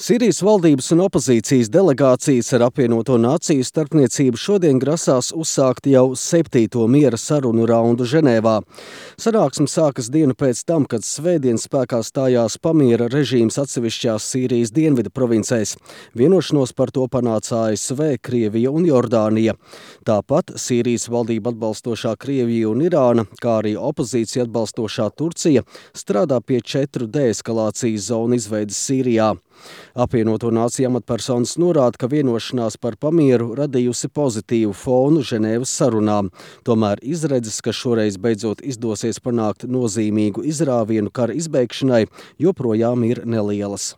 Sīrijas valdības un opozīcijas delegācijas ar apvienoto nāciju starpniecību šodien grasās uzsākt jau 7. miera sarunu raundu Ženēvā. Sanāksme sākas dienu pēc tam, kad svētdien spēkā stājās pamiera režīms atsevišķās Sīrijas dienvidu provincēs. Vienošanos par to panāca ASV, Krievija un Jordānija. Tāpat Sīrijas valdību atbalstošā Krievija un Irāna, kā arī opozīcija atbalstošā Turcija, strādā pie 4 deeskalācijas zonu izveides Sīrijā. Apvienoto nāciju amatpersonas norāda, ka vienošanās par pamieru radījusi pozitīvu fonu Ženēvas sarunām. Tomēr izredzes, ka šoreiz beidzot izdosies panākt nozīmīgu izrāvienu kara izbeigšanai, joprojām ir nelielas.